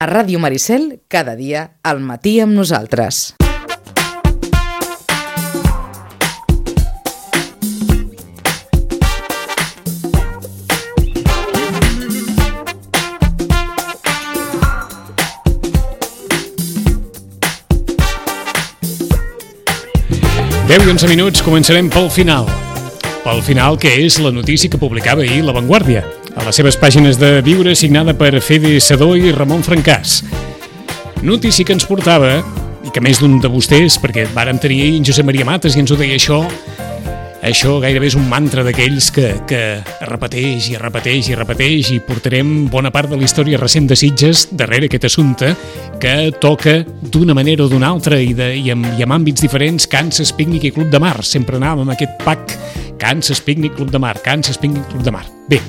A Ràdio Maricel, cada dia, al matí amb nosaltres. Deu i 11 minuts, començarem pel final. Pel final, que és la notícia que publicava ahir La Vanguardia, a les seves pàgines de Viure, signada per Fede Sedó i Ramon Francàs. Notícia que ens portava, i que més d'un de vostès, perquè vàrem tenir ahir en Josep Maria Mates i ens ho deia això gairebé és un mantra d'aquells que repeteix i repeteix i repeteix, i portarem bona part de la història recent de Sitges darrere aquest assumpte que toca d'una manera o d'una altra i amb àmbits diferents. Kansas, Pícnic i Club de Mar. Sempre anàvem amb aquest pack Kansas, Pícnic, Club de Mar, Kansas, Pícnic, Club de Mar. Bé,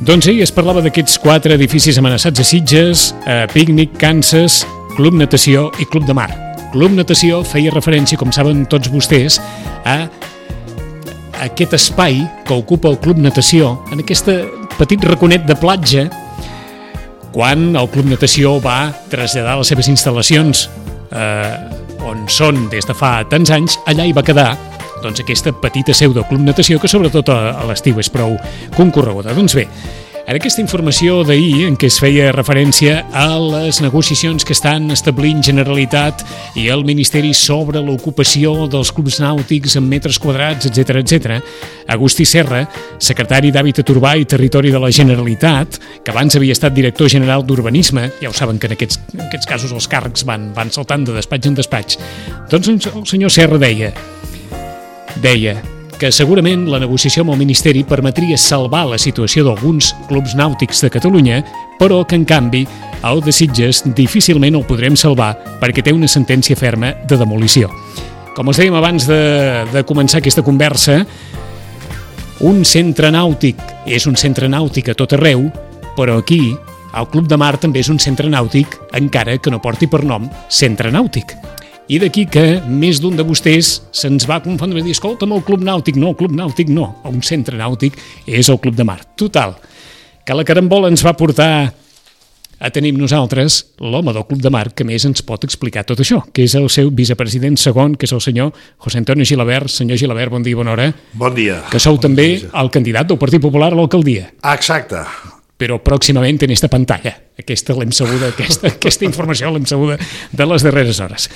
doncs ahir es parlava d'aquests 4 edificis amenaçats a Sitges: Pícnic, Kansas, Club Natació i Club de Mar. Club Natació feia referència, com saben tots vostès, a aquest espai que ocupa el Club Natació en aquest petit raconet de platja, quan el Club Natació va traslladar les seves instal·lacions on són des de fa tants anys. Allà hi va quedar doncs aquesta petita seu del Club Natació, que sobretot a l'estiu és prou concorreguda. Doncs bé, en aquesta informació d'ahir, en què es feia referència a les negociacions que estan establint Generalitat i el Ministeri sobre l'ocupació dels clubs nàutics en metres quadrats, etc., Agustí Serra, secretari d'Hàbitat Urbà i Territori de la Generalitat, que abans havia estat director general d'Urbanisme, ja ho saben que en aquests casos els càrrecs van saltant de despatx en despatx, doncs el senyor Serra deia que segurament la negociació amb el Ministeri permetria salvar la situació d'alguns clubs nàutics de Catalunya, però que, en canvi, el de Sitges difícilment el podrem salvar perquè té una sentència ferma de demolició. Com us dèiem abans de començar aquesta conversa, un centre nàutic és un centre nàutic a tot arreu, però aquí el Club de Mar també és un centre nàutic, encara que no porti per nom centre nàutic. I d'aquí que més d'un de vostès se'ns va confondre i dir: escolta'm, el Club Nàutic no, el Club Nàutic no, un centre nàutic és el Club de Mar. Total, que la carambola ens va portar a tenir amb nosaltres l'home del Club de Mar que més ens pot explicar tot això, que és el seu vicepresident segon, que és el senyor José Antonio Gilabert. Senyor Gilabert, bon dia i bona hora. Bon dia. Que sou també el candidat del Partit Popular a l'alcaldia. Exacte. Però pròximament en esta pantalla. Aquesta l'hem sabuda, aquesta informació l'hem sabuda de les darreres hores.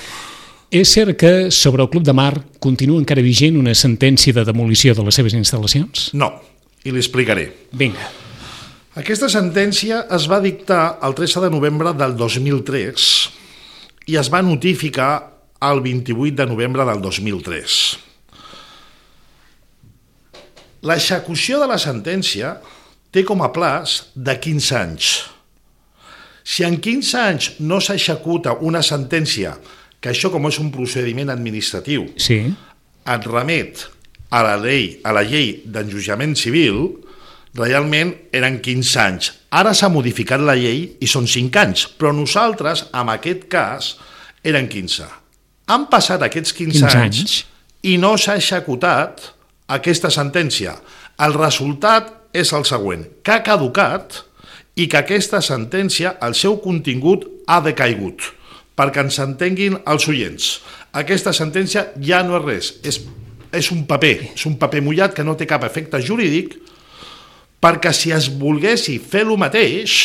És cert que sobre el Club de Mar continua encara vigent una sentència de demolició de les seves instal·lacions? No, i li explicaré. Vinga. Aquesta sentència es va dictar el 13 de novembre del 2003 i es va notificar el 28 de novembre del 2003. L'execució de la sentència té com a plaç de 15 anys. Si en 15 anys no s'executa una sentència, que això, com és un procediment administratiu, sí, et remet a la llei d'enjudiciament civil, realment eren 15 anys. Ara s'ha modificat la llei i són 5 anys, però nosaltres, en aquest cas, eren 15. Han passat aquests 15 anys i no s'ha executat aquesta sentència. El resultat és el següent, que ha caducat i que aquesta sentència, el seu contingut, ha decaigut. Perquè ens entenguin els oients. Aquesta sentència ja no és res, és un paper mullat que no té cap efecte jurídic, perquè si es volguessi fer el mateix,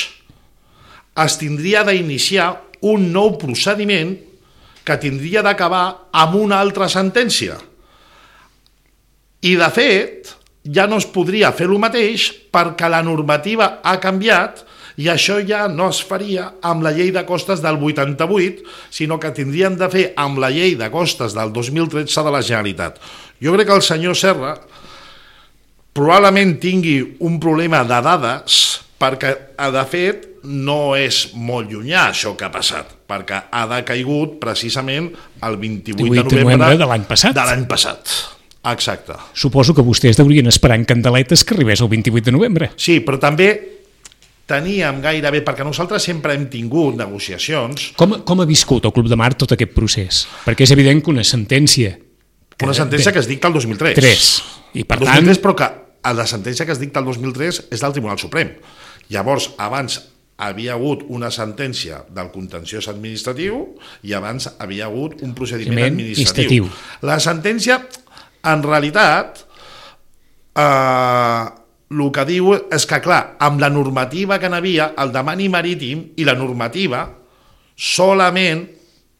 es tindria d'iniciar un nou procediment que tindria d'acabar amb una altra sentència. I, de fet, ja no es podria fer el mateix perquè la normativa ha canviat i això ja no es faria amb la llei de costes del 88, sinó que tindrien de fer amb la llei de costes del 2013 de la Generalitat. Jo crec que el senyor Serra probablement tingui un problema de dades, perquè, de fet, no és molt llunyà això que ha passat, perquè ha decaigut precisament el 28 de novembre de l'any passat. De l'any passat. Exacte. Suposo que vostès deurien esperar en candeletes que arribés el 28 de novembre. Sí, però també teníem gairebé, perquè nosaltres sempre hem tingut negociacions. Com ha viscut el Club de Mar tot aquest procés? Perquè és evident que una sentència... Una sentència que es dicta el 2003. I per tant... Però que la sentència que es dicta el 2003 és del Tribunal Suprem. Llavors, abans havia hagut una sentència del contenciós administratiu i abans havia hagut un procediment administratiu. La sentència, en realitat, el que diu és que, clar, amb la normativa que n'havia, el demani marítim i la normativa solament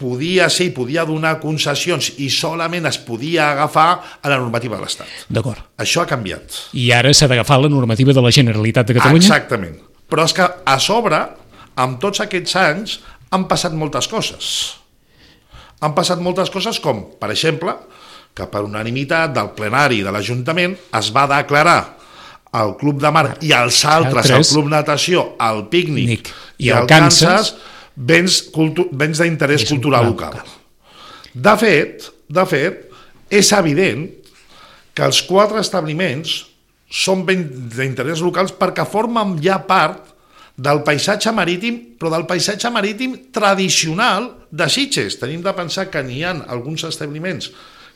podia ser i podia donar concessions i solament es podia agafar a la normativa de l'Estat. D'acord. Això ha canviat. I ara s'ha d'agafar la normativa de la Generalitat de Catalunya? Exactament. Però és que a sobre, amb tots aquests anys, han passat moltes coses. Han passat moltes coses com, per exemple, que per unanimitat del plenari de l'Ajuntament es va declarar el Club de Mar i els altres, el Club Natació, el Pícnic i el Kansas, béns d'interès cultural local. De fet, és evident que els 4 establiments són béns d'interès locals perquè formen ja part del paisatge marítim, però del paisatge marítim tradicional de Sitges. Tenim de pensar que n'hi ha alguns establiments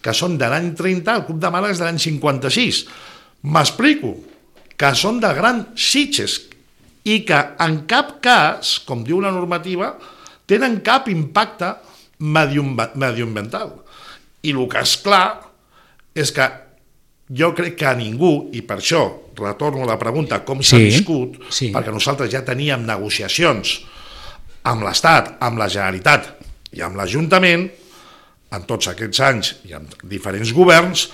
que són de l'any 30, el Club de Màlaga és de l'any 56. M'explico, que són de Gran Sitges, i que en cap cas, com diu la normativa, tenen cap impacte mediambiental. I el que és clar és que jo crec que a ningú, i per això retorno a la pregunta com s'ha viscut, perquè nosaltres ja teníem negociacions amb l'Estat, amb la Generalitat i amb l'Ajuntament, en tots aquests anys i amb diferents governs,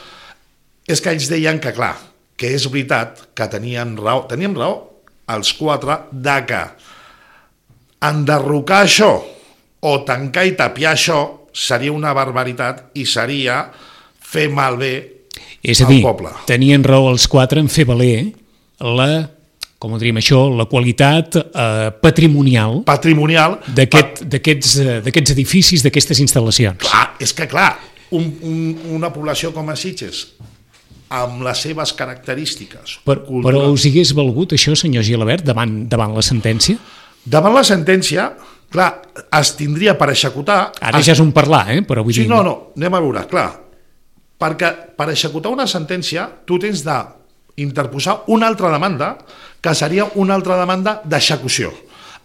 és que ells deien que, clar, que és veritat que teníem raó els 4 de que enderrocar això o tancar i tapiar això seria una barbaritat i seria fer malbé al poble. Tenien raó els 4 en fer valer la qualitat patrimonial d'aquests edificis, d'aquestes instal·lacions. Clar, és que clar, una població com a Sitges, amb les seves característiques. Però us hagués valgut això, senyor Gilabert, davant la sentència? Davant la sentència, clar, es tindria per executar... Ara ja és un parlar, però vull dir... No, anem a veure, clar, perquè per executar una sentència tu tens d'interposar una altra demanda que seria una altra demanda d'execució.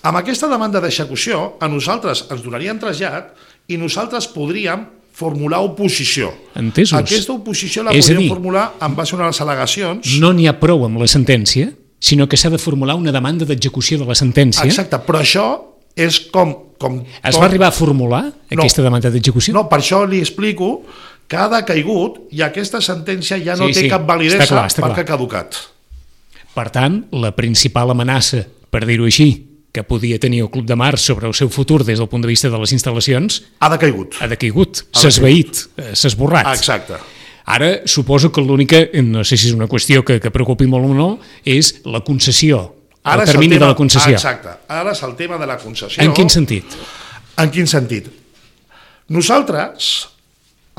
Amb aquesta demanda d'execució a nosaltres ens donarien trasllat i nosaltres podríem formular oposició. Entesos. Aquesta oposició la podríem formular en base a unes al·legacions. No n'hi ha prou amb la sentència, sinó que s'ha de formular una demanda d'execució de la sentència. Exacte, però això és com es va arribar a formular aquesta demanda d'execució? No, per això li explico que ha decaigut i aquesta sentència ja no té cap validesa perquè ha caducat. Per tant, la principal amenaça, per dir-ho així, que podia tenir el Club de Mar sobre el seu futur des del punt de vista de les instal·lacions... Ha decaigut. S'ha esvaït, s'ha esborrat. Exacte. Ara, suposo que l'única, no sé si és una qüestió que preocupi molt o no, és la concessió, el termini de la concessió. Exacte. Ara és el tema de la concessió. En quin sentit? En quin sentit? Nosaltres,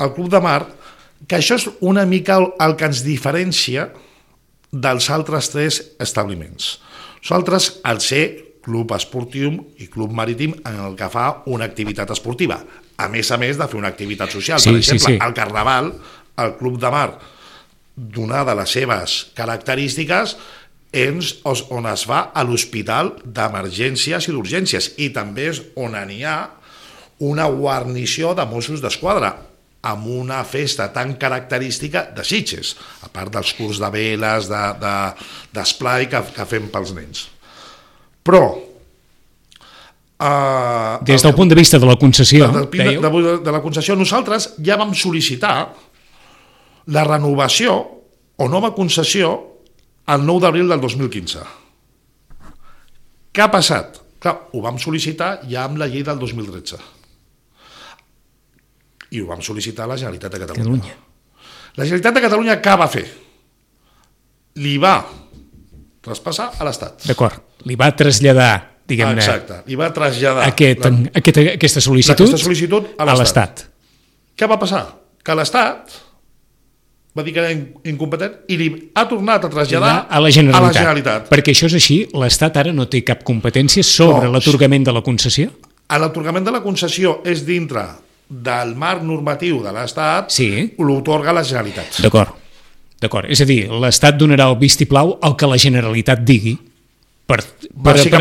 el Club de Mar, que això és una mica el que ens diferencia dels altres 3 establiments. Nosaltres, al ser club esportiu i club marítim en el que fa una activitat esportiva, a més de fer una activitat social. Per exemple, al Carnaval, el Club de Mar, donada les seves característiques, on es va a l'hospital d'emergències i d'urgències, i també és on n'hi ha una guarnició de Mossos d'Esquadra, amb una festa tan característica de Sitges, a part dels curs de veles, d'esplai que fem pels nens. Però... des del punt de vista de la concessió, de la concessió, nosaltres ja vam sol·licitar la renovació o nova concessió el 9 d'abril del 2015. Què ha passat? Clar, ho vam sol·licitar ja amb la llei del 2013. I ho vam sol·licitar a la Generalitat de Catalunya. La Generalitat de Catalunya què va fer? Li va traspassar a l'Estat. D'acord, li va traslladar, diguem-ne... Exacte, li va traslladar aquesta sol·licitud a l'Estat. Què va passar? Que l'Estat va dir que era incompetent i li ha tornat a traslladar a la Generalitat. Perquè això és així, l'Estat ara no té cap competència sobre l'atorgament de la concessió? L'atorgament de la concessió és dintre del marc normatiu de l'Estat, l'otorga la Generalitat. D'acord. És a dir, l'Estat donarà el vistiplau al que la Generalitat digui. Per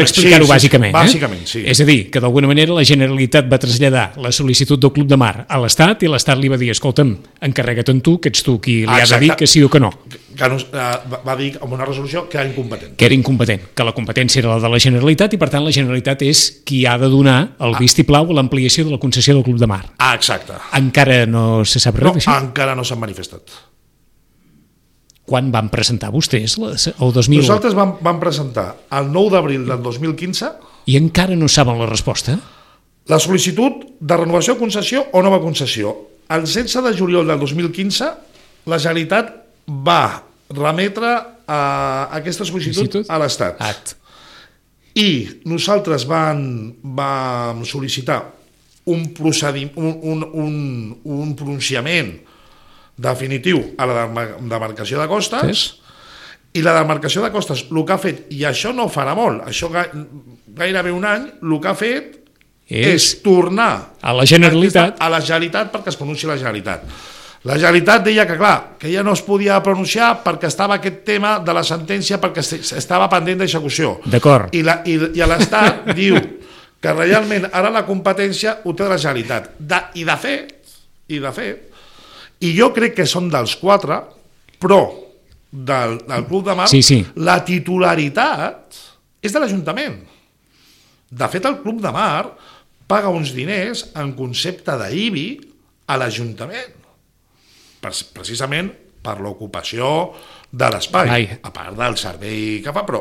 explicar-ho bàsicament. Bàsicament, sí. És a dir, que d'alguna manera la Generalitat va traslladar la sol·licitud del Club de Mar a l'Estat i l'Estat li va dir, escolta'm, encarrega't tu, que ets tu qui li ha de dir que sí o que no. Va dir amb una resolució que era incompetent. Que era incompetent, que la competència era la de la Generalitat i per tant la Generalitat és qui ha de donar el vistiplau a l'ampliació de la concessió del Club de Mar. Exacte. Encara no se sap res d'això? No, encara no s'han manifestat. Quan van presentar vostès el 2000? Nosaltres vam presentar el 9 d'abril del 2015 i encara no saben la resposta? La sol·licitud de renovació de concessió o nova concessió. El 16 de juliol del 2015 la Generalitat va remetre aquesta sol·licitud a l'Estat. I nosaltres vam sol·licitar un pronunciament definitiu a la demarcació de costes, i la demarcació de costes el que ha fet, i això no farà molt, això gairebé un any, el que ha fet és tornar a la Generalitat perquè es pronunciï la Generalitat. La Generalitat deia que, clar, que ja no es podia pronunciar perquè estava aquest tema de la sentència perquè estava pendent d'execució. D'acord. I l'Estat diu que realment ara la competència ho té la Generalitat. I de fet, i jo crec que són dels 4, però del Club de Mar, la titularitat és de l'Ajuntament. De fet, el Club de Mar paga uns diners en concepte d'IBI a l'Ajuntament, precisament per l'ocupació de l'espai, a part del servei que fa. Però,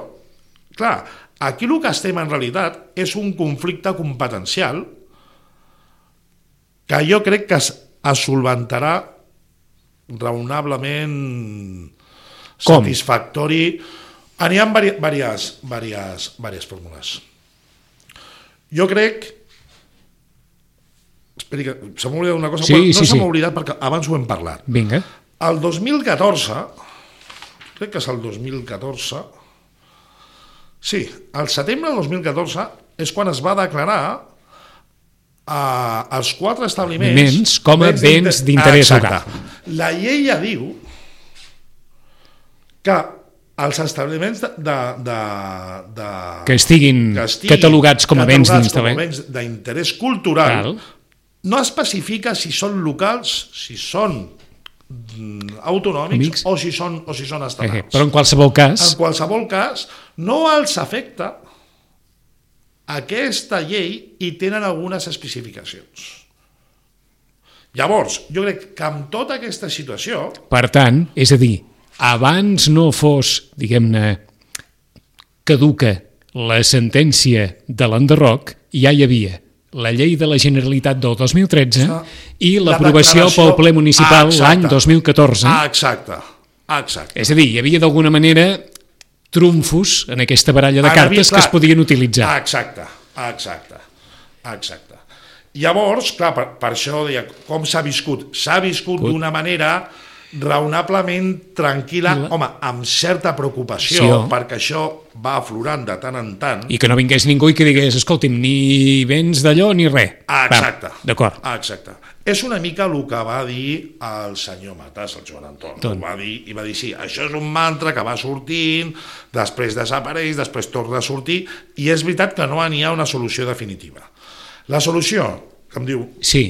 clar, aquí el que estem en realitat és un conflicte competencial que jo crec que es solventarà raonablement satisfactori. N'hi ha diverses fórmules. Jo crec... Esperi, que se m'ha oblidat una cosa, però no se m'ha oblidat perquè abans ho hem parlat. Vinga. El 2014, crec que és el 2014, sí, al setembre del 2014 és quan es va declarar els 4 establiments com a béns d'interès local. La llei ja diu que els establiments que estiguin catalogats com a béns d'interès cultural no especifica si són locals, si són autonòmics o si són estatals. Però en qualsevol cas no els afecta aquesta llei i tenen algunes especificacions. Llavors, jo crec que amb tota aquesta situació... Per tant, és a dir, abans no fos, diguem-ne, caduca la sentència de l'enderroc, ja hi havia la llei de la Generalitat del 2013 i l'aprovació pel ple municipal l'any 2014. Exacte. És a dir, hi havia d'alguna manera trumfos en aquesta baralla de cartes que es podien utilitzar. Exacte. Llavors, clar, per això deia, com s'ha viscut? S'ha viscut d'una manera raonablement tranquil·la, home, amb certa preocupació, perquè això va aflorant de tant en tant. I que no vingués ningú i que digués, escolti'm, ni vens d'allò ni res. Exacte. D'acord. Exacte. És una mica el que va dir el senyor Matas, el Joan Anton. Va dir, sí, això és un mantra que va sortint, després desapareix, després torna a sortir, i és veritat que no n'hi ha una solució definitiva. La solució, que em diu,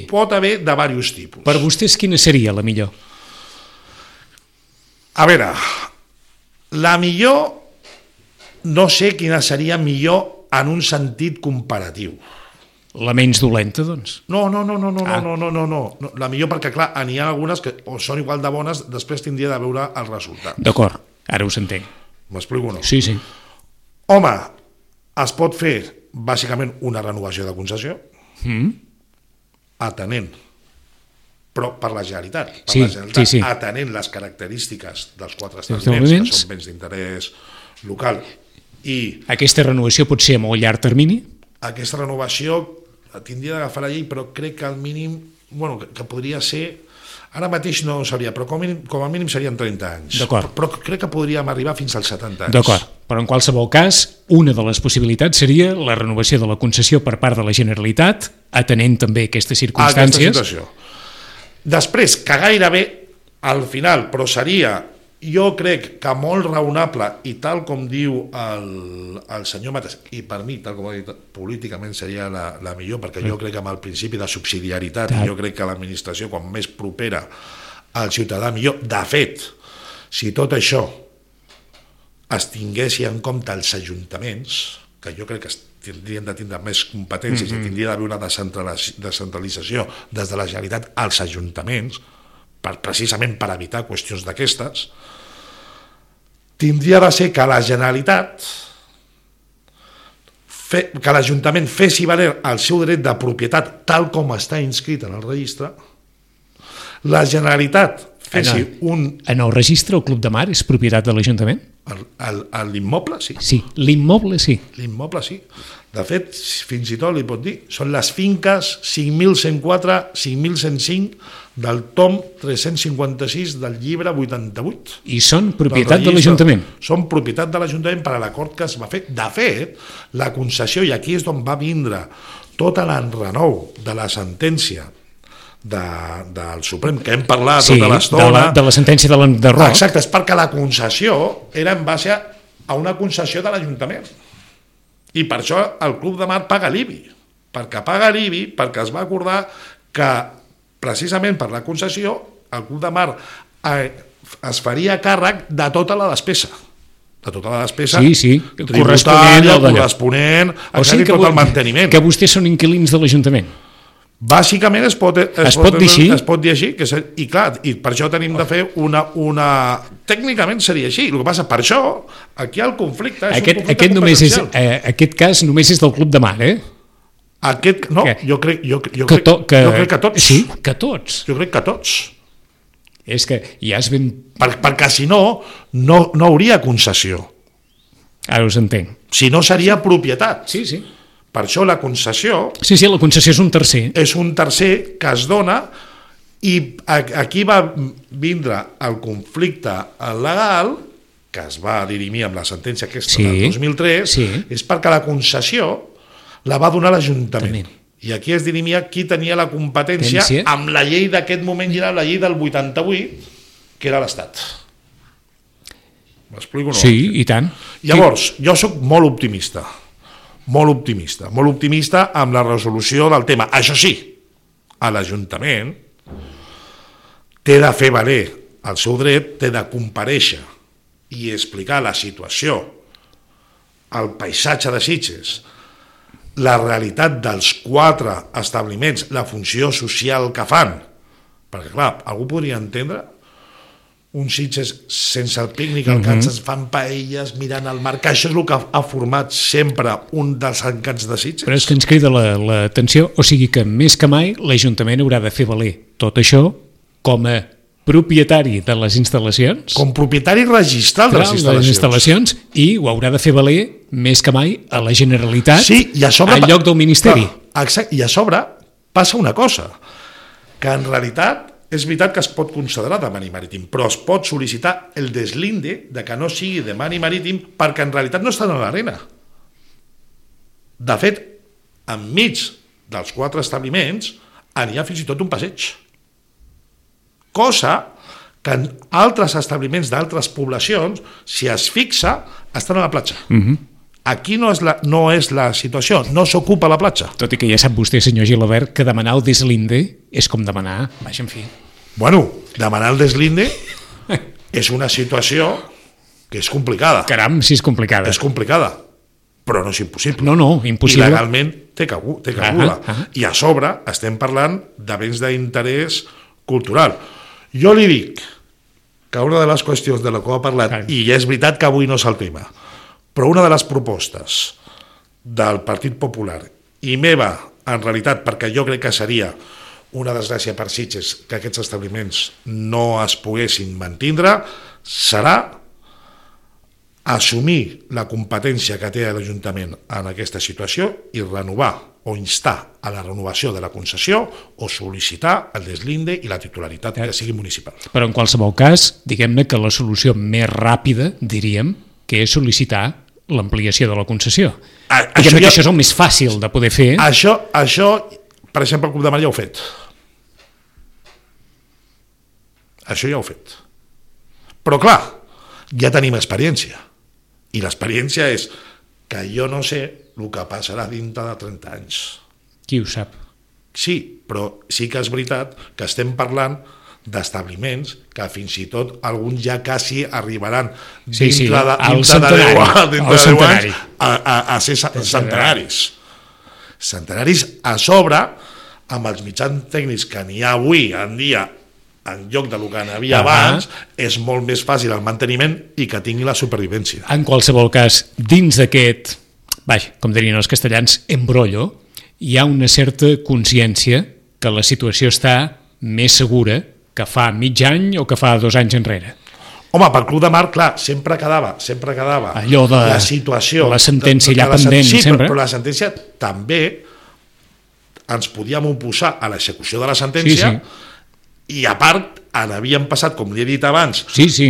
pot haver de diversos tipus. Per vostès quina seria la millor? A veure, la millor, no sé quina seria millor en un sentit comparatiu. La menys dolenta, doncs? No. La millor perquè, clar, n'hi ha algunes que són igual de bones, després tindria de veure el resultat. D'acord, ara us entenc. M'explico o no? Sí. Home, es pot fer, bàsicament, una renovació de concessió, atenent, però per la Generalitat, atenent les característiques dels 4 establiments, que són béns d'interès local. Aquesta renovació pot ser a molt llarg termini? Aquesta renovació tindria d'agafar la llei, però crec que al mínim, que podria ser, ara mateix no ho sabria, però com a mínim serien 30 anys. D'acord. Però crec que podríem arribar fins als 70 anys. D'acord, però en qualsevol cas, una de les possibilitats seria la renovació de la concessió per part de la Generalitat, atenent també aquestes circumstàncies. Aquesta situació. Després, que gairebé al final, però seria jo crec que molt raonable, i tal com diu el senyor Matas, i per mi, tal com ha dit, políticament seria la millor, perquè jo crec que amb el principi de subsidiarietat, jo crec que l'administració, quan més propera al ciutadà, millor. De fet, si tot això es tinguessi en compte els ajuntaments, que jo crec que tindrien de tindre més competències i tindria d'haver una descentralització des de la Generalitat als ajuntaments, precisament per evitar qüestions d'aquestes, tindria de ser que la Generalitat, que l'Ajuntament fessi valer el seu dret de propietat tal com està inscrit en el registre, la Generalitat fessi un... En el registre, el Club de Mar és propietat de l'Ajuntament? L'immoble, sí. Sí, l'immoble, sí. L'immoble, sí. De fet, fins i tot li pot dir, són les finques 5.104, 5.105 del tom 356 del llibre 88. I són propietat de l'Ajuntament? Són propietat de l'Ajuntament per a l'acord que es va fer. De fet, la concessió, i aquí és on va vindre tot l'enrenou de la sentència del Suprem, que hem parlat tota l'estona... De la sentència de Roc. Exacte, és perquè la concessió era en base a una concessió de l'Ajuntament. I per això el Club de Mar paga l'IBI. Perquè paga l'IBI, perquè es va acordar que, precisament per la concessió, el Club de Mar es faria càrrec de tota la despesa. De tota la despesa tributària, corresponent, tot el manteniment. Que vostès són inquilins de l'Ajuntament. Bàsicament es pot dir així, i clar, i per això tenim de fer una... Tècnicament seria així, el que passa, per això, aquí el conflicte és un conflicte competencial. Aquest cas només és del Club de Mar, eh? Jo crec que tots. Sí, que tots. Jo crec que tots. És que ja es ben... Perquè si no hauria concessió. Ara us entenc. Si no seria propietat. Sí, sí. Per això la concessió... Sí, la concessió és un tercer. És un tercer que es dona, i aquí va vindre el conflicte legal, que es va dirimir amb la sentència aquesta del 2003, és perquè la concessió la va donar l'Ajuntament. I aquí es dirimia qui tenia la competència amb la llei d'aquest moment, i era la llei del 88, que era l'Estat. M'explico o no? Sí, i tant. Llavors, jo soc molt optimista amb la resolució del tema. Això sí, a l'Ajuntament té de fer valer el seu dret, té de comparèixer i explicar la situació, el paisatge de Sitges, la realitat dels 4 establiments, la funció social que fan, perquè clar, algú podria entendre un Sitges sense el pícnic, al que ens fan paelles mirant el mar, que això és el que ha format sempre un dels encants de Sitges. Però és que ens crida l'atenció, o sigui que més que mai l'Ajuntament haurà de fer valer tot això com a propietari de les instal·lacions. Com propietari registral de les instal·lacions. I ho haurà de fer valer més que mai a la Generalitat, i a sobre, en lloc del Ministeri. Exacte, i a sobre passa una cosa, que en realitat és veritat que es pot considerar de mani marítim, però es pot sol·licitar el deslinde de que no sigui de mani marítim perquè en realitat no estan a l'arena. De fet, enmig dels 4 establiments n'hi ha fins i tot un passeig. Cosa que en altres establiments d'altres poblacions, si es fixa, estan a la platja. Aquí no és la situació, no s'ocupa la platja. Tot i que ja sap vostè, senyor Gilabert, que demanar el deslinde és com demanar... Vaja, en fi. Bueno, demanar el deslinde és una situació que és complicada. Caram, si és complicada. És complicada, però no és impossible. No, impossible. I legalment té cabuda. I a sobre estem parlant de béns d'interès cultural. Jo li dic que una de les qüestions de la que ha parlat, i és veritat que avui no és el tema, però una de les propostes del Partit Popular i meva, en realitat, perquè jo crec que seria una desgràcia per Sitges que aquests establiments no es poguessin mantindre, serà assumir la competència que té l'Ajuntament en aquesta situació i renovar o instar a la renovació de la concessió o sol·licitar el deslinde i la titularitat que sigui municipal. Però en qualsevol cas, diguem-ne que la solució més ràpida, diríem, que és sol·licitar l'ampliació de la concessió. Diguem-ne que això és el més fàcil de poder fer. Això, per exemple, el Club de Mar ja ho ha fet. Això ja ho ha fet. Però clar, ja tenim experiència. I l'experiència és que jo no sé el que passarà dintre de 30 anys. Qui ho sap? Sí, però sí que és veritat que estem parlant d'establiments que fins i tot alguns ja quasi arribaran dintre de 10 anys a ser centenaris. Centenaris a sobre, amb els mitjans tècnics que n'hi ha avui en dia, en lloc del que n'hi havia abans, és molt més fàcil el manteniment i que tingui la supervivència. En qualsevol cas, dins d'aquest, com dirien els castellans, embrollo, hi ha una certa consciència que la situació està més segura que fa mig any o que fa 2 anys enrere. Home, pel Club de Mar, clar, sempre quedava allò de la situació, la sentència allà pendent, sí, sempre. Però la sentència també ens podíem oposar a l'execució de la sentència, i a part havíem passat, com li he dit abans,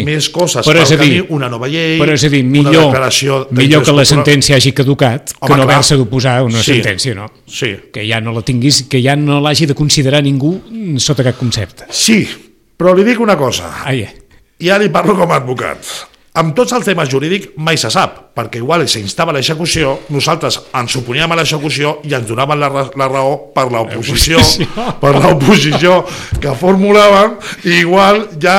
més coses pel camí, una nova llei, però és a dir, millor que la sentència hagi caducat que no haver-se d'oposar a una sentència, no? Sí. Que ja no la tinguis, que ja no l'hagi de considerar ningú sota cap concepte. Sí, però li dic una cosa. Ja li parlo com a advocat. Amb tots els temes jurídics mai se sap, perquè igual s'instava l'execució, nosaltres ens oponíem a l'execució i ens donaven la raó per l'oposició que formulàvem, i igual ja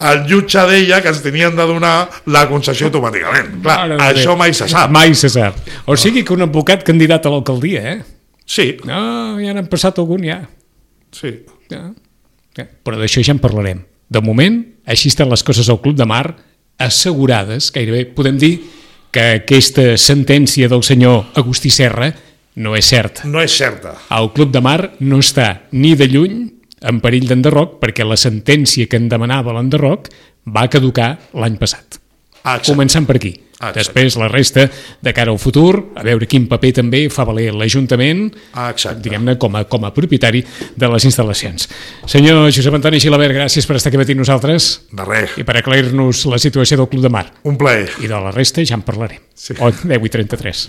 el jutge deia que ens tenien de donar la concessió automàticament. Clar, això mai se sap. Mai se sap. O sigui que un advocat candidat a l'alcaldia, Sí. No, ja n'han passat algun, ja. Sí. Però d'això ja en parlarem. De moment, així estan les coses al Club de Mar, assegurades, gairebé podem dir que aquesta sentència del senyor Agustí Serra no és certa. No és certa. El Club de Mar no està ni de lluny en perill d'enderroc, perquè la sentència que en demanava l'enderroc va caducar l'any passat. Començant per aquí. Després la resta de cara al futur, a veure quin paper també fa valer l'Ajuntament, diguem-ne, com a propietari de les instal·lacions. Senyor Josep Antoni Gilabert, gràcies per estar aquí amb nosaltres. De res. I per aclarir-nos la situació del Club de Mar. Un plaer. I de la resta ja en parlarem. 10:33.